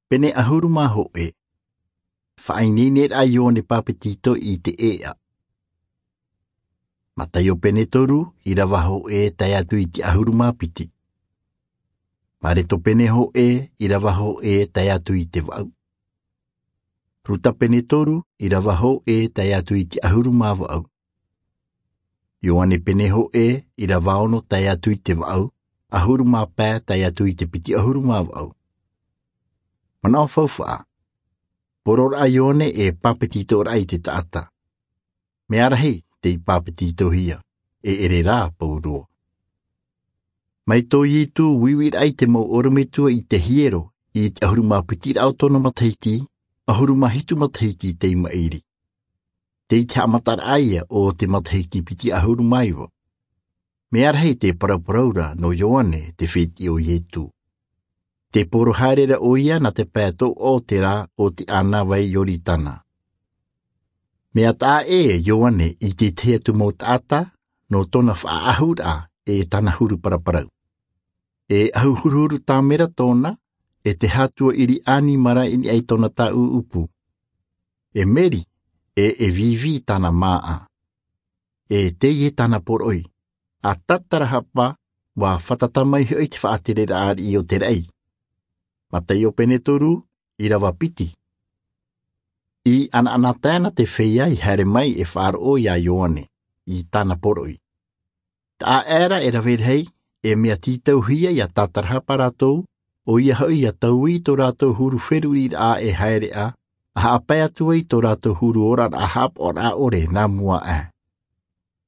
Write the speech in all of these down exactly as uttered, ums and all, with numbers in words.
Pene ʻahuru mā hōʻē. Faʻaineineraʻa a Ioane Pāpetito i te ʻēʻa. Mataio pene toru, ʻīrava hōʻē tae atu i te ʻahuru mā piti. Mareko pene hōʻē, ʻīrava hōʻē tae atu i te vaʻu. Ruta pene toru, ʻīrava hōʻē tae atu i te ʻahuru mā vaʻu. Ioane pene hōʻē, ʻīrava ono tae atu i te vaʻu, ʻahuru mā pae tae atu i te piti ʻahuru mā vaʻu. Manaʻo faufaʻa. Poroʻraʻa a Ioane e pāpetitoraʻa i te taʻata. Mea rahi tei pāpetitohia, e ʻere rā pauroa. Mai tō Ietu uiuiraʻa i te mau ʻorometua i te hiero, i te ʻahuru mā piti raʻa o tōna matahiti, ʻahuru mā hitu matahiti tei maʻiri. Tei te haʻamataraʻa ia o te matahiti piti ʻahuru mā iva. Mea rahi te parauparau ra nō Ioane te fētiʻi o Ietu. Tē poro haere ra ʻoia nā te pae tōʻoʻo o te rā o te ʻānāvai Ioritana. Mea taʻa ʻē Ioane i te tahi atu mau taʻata, nō tōna faʻaʻahuraʻa e tāna huru paraparau. E ʻahu huruhuru tāmera tōna, e te hātua ʻiri ʻānimara i niʻa i tōna tāʻuʻupu. E meri, e, e vīvī tāna māʻa. E teie tāna poroʻi, ʻa tātarahapa, ʻua fātata mai hoʻi te faʻatereraʻa ariʻi o te raʻi. Mataio pene toru, ʻīrava piti. I ʻanaʻanatae na te feiā i haere mai e faʻaroʻo ia Ioane, i tāna poroʻi. Taʻa ʻē ra e rave rahi, e mea tītauhia ia tātarahapa rātou, ʻoia hoʻi ʻia taui tō rātou huru feruriraʻa e haere ā, ʻa haʻapae atu ai tō rātou huru oraraʻa haʻapaʻoraʻa ʻore nā mua aʻe.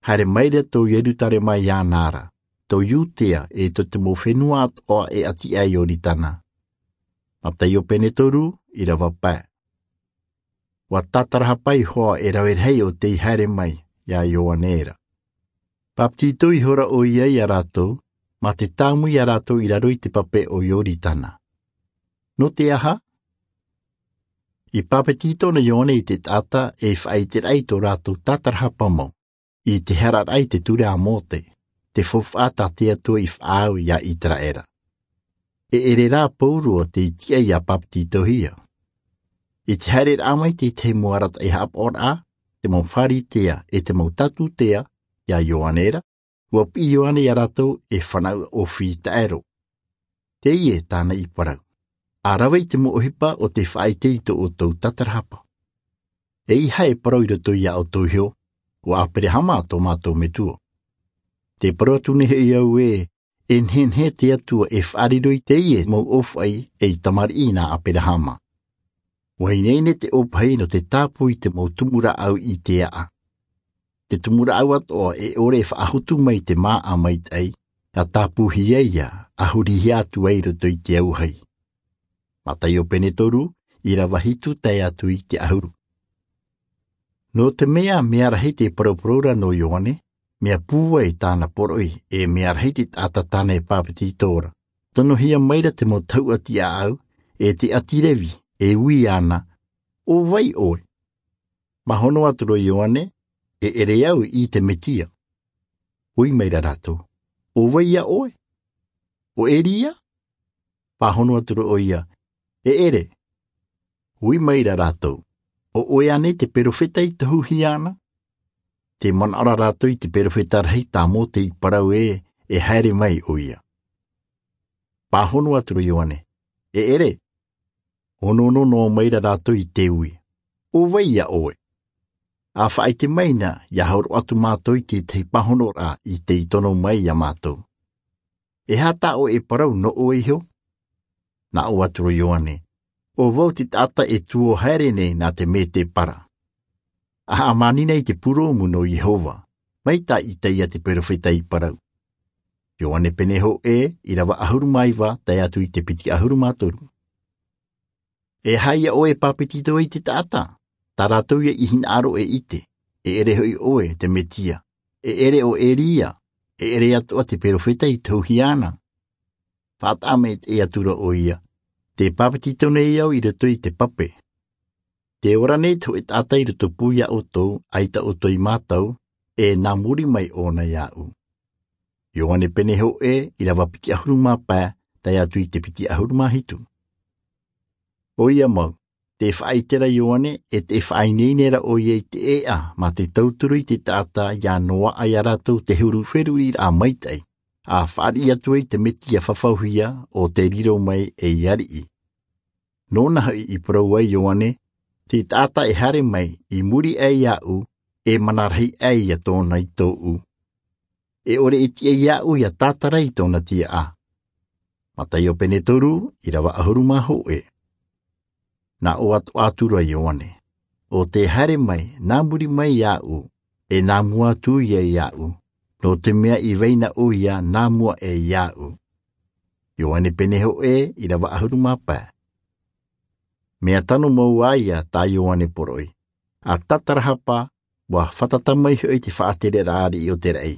Haere mai ra tō Ierutarema iāna ra, tō Iudea e tō te mau fenua atoʻa e ʻati aʻe Ioritana. Mataio pene toru, ʻīrava pae. ʻUa tātarahapa iho ā e rave rahi ʻo tei haere mai, ia Ioane ra. Pāpetito ihora ʻoia ia rātou, mā te tāmui ia rātou i raro i te pape o Ioritana. Nō te aha? I pāpetito na Ioane i te taʻata e faʻaʻiteraʻa i tō rātou tātarahapa mau, i te hara raʻa i te ture a Mōte, te faufaʻa tā te Atua i faʻaau ia Iteraʻera. E ʻere rā pauroa tei tiʻa ia pāpetitohia. I te haereraʻa mai te tahi mau arataʻi haʻapaʻoraʻa, te mau Pharisea, e te mau Satusia, ia Ioane ra, ʻua piʻi Ioane ia rātou e fānaʻo ʻōfī taʻero. Teie tāna i parau. ʻA rave i te mau ʻohipa ʻo tē faʻaʻite i tō ʻoutou tātarahapa. E ʻeiaha e parau i roto ia ʻoutou iho, ʻo Aperahama tō mātou metua. Tē parau atu nei hoʻi au ē, e nehenehe te Atua e faʻariro i teie mau ʻōfaʻi ei tamariʻi nā Aperahama. ʻUa ineine te ʻōpahi nō te tāpū i te mau tumu rāʻau i te aʻa. Te tumu rāʻau atoʻa e ʻore e faʻahotu mai te māʻa maitaʻi, ʻa tāpūhia ia, ʻa hurihia atu ai i roto i te auahi. Mataio pene toru, ʻīrava hitu tae atu i te ʻahuru. Nō te mea, mea rahi te parauparau ra nō Ioane, mea pūai tāna poroʻi, e mea rahi te taʻata tāna e pāpetito ra. Tonohia mai ra te mau tahuʻa tiʻaʻau, e te ʻāti Revi, e ui ana, ʻO vai ʻoe? Pāhono atu ra Ioane, E ʻere au i te Mesia. Ui mai ra rātou, ʻO vai ïa ʻoe? ʻO Elia? Pāhono atu ra ʻoia, E ʻere. Ui mai ra rātou, ʻO ʻoe ānei te perofeta i tohuhia ana? Tē manaʻo ra rātou i te perofeta rahi tā Mōte i parau ē, e haere mai ʻoia. Pāhono atu ra Ioane, E ʻere. ʻOnoono noa mai ra rātou i te ui, ʻO vai ïa ʻoe? ʻA faʻaʻite mai na, ʻia hōroʻa atu mātou i te tahi pāhonoraʻa i tei tono mai ia mātou. E aha tā ʻoe e parau nō ʻoe iho? Nā ʻō atu ra Ioane, ʻO vau te taʻata e tuō haere nei nā te mētēpara. ʻA haʻamānina i te purōmu nō Iehova, mai tā Isaia te perofeta i parau. Ioane pene hōʻē, ʻīrava ʻahuru mā iva, tae atu i te piti ʻahuru mā toru. E aha ïa ʻoe e pāpetito ai te taʻata, tā rātou ïa i hinaʻaro e ʻite, e ʻere hoʻi ʻoe te Mesia, e ʻere ʻo Elia, e ʻere atoʻa te perofeta i tohuhia ana? Faʻataʻa maitaʻi atu ra ʻoia, Tē pāpetito nei au i roto i te pape. Tē ora nei te hōʻē taʻata i rotopū ia ʻoutou, ʻaita ʻoutou i mātau, e nā muri mai ʻōna iāʻu. Ioane pene hōʻē, ʻīrava piti ʻahuru mā pae, tae atu i te piti ʻahuru mā hitu. ʻOia mau, te faʻaitera ioane, e te faʻaineine ra ʻoia i te ʻēʻa mā te tauturu i te taʻata ia noaʻa ia rātou te huru feruri raʻa maitaʻi, a faʻariʻi atu ai te mesia fafauhia o te riro mai ei ariʻi. Nōna hoʻi i parau ai ioane, te taʻata e haere mai i muri aʻe iāʻu, e mana rahi aʻe ia tōna i tōʻu, e ʻore e tiʻa iāʻu ia tātara i tōna tiaʻa. Mataio pene toru, ʻirava ʻahuru mā hōʻē. Nā ʻō atu atu ra ioane, ʻo te haere mai nā muri mai iāʻu, e nā mua atu ia iāʻu, nō te mea i vai na ʻoia nā mua aʻe iāʻu. Ioane pene hōʻē, ʻirava ʻahuru mā pae. Mea tano mau ā ia tā ioane poroʻi, a tātarahapa, ua fātata mai hoʻi te faʻatereraʻa ariʻi o te raʻi.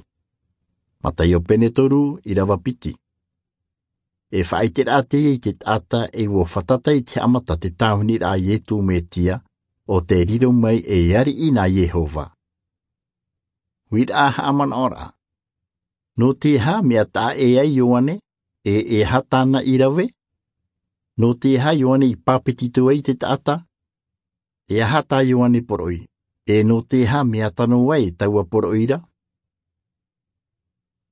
Mataio pene toru, ʻirava piti. E faʻaiteraʻa teie i te taʻata e ua fātata i te haʻamata te tāviniraʻa a iesu mesia, o te riro mai ei ariʻi nā iehova. Uiraʻa haʻamanaʻoraʻa. Nō te aha mea taʻa ʻē ai ioane, e e aha tāna i rave? Nō te aha ioane i pāpetito ai te taʻata? E aha tā ioane poroʻi, e nō te aha mea tano ai taua poroʻi ra?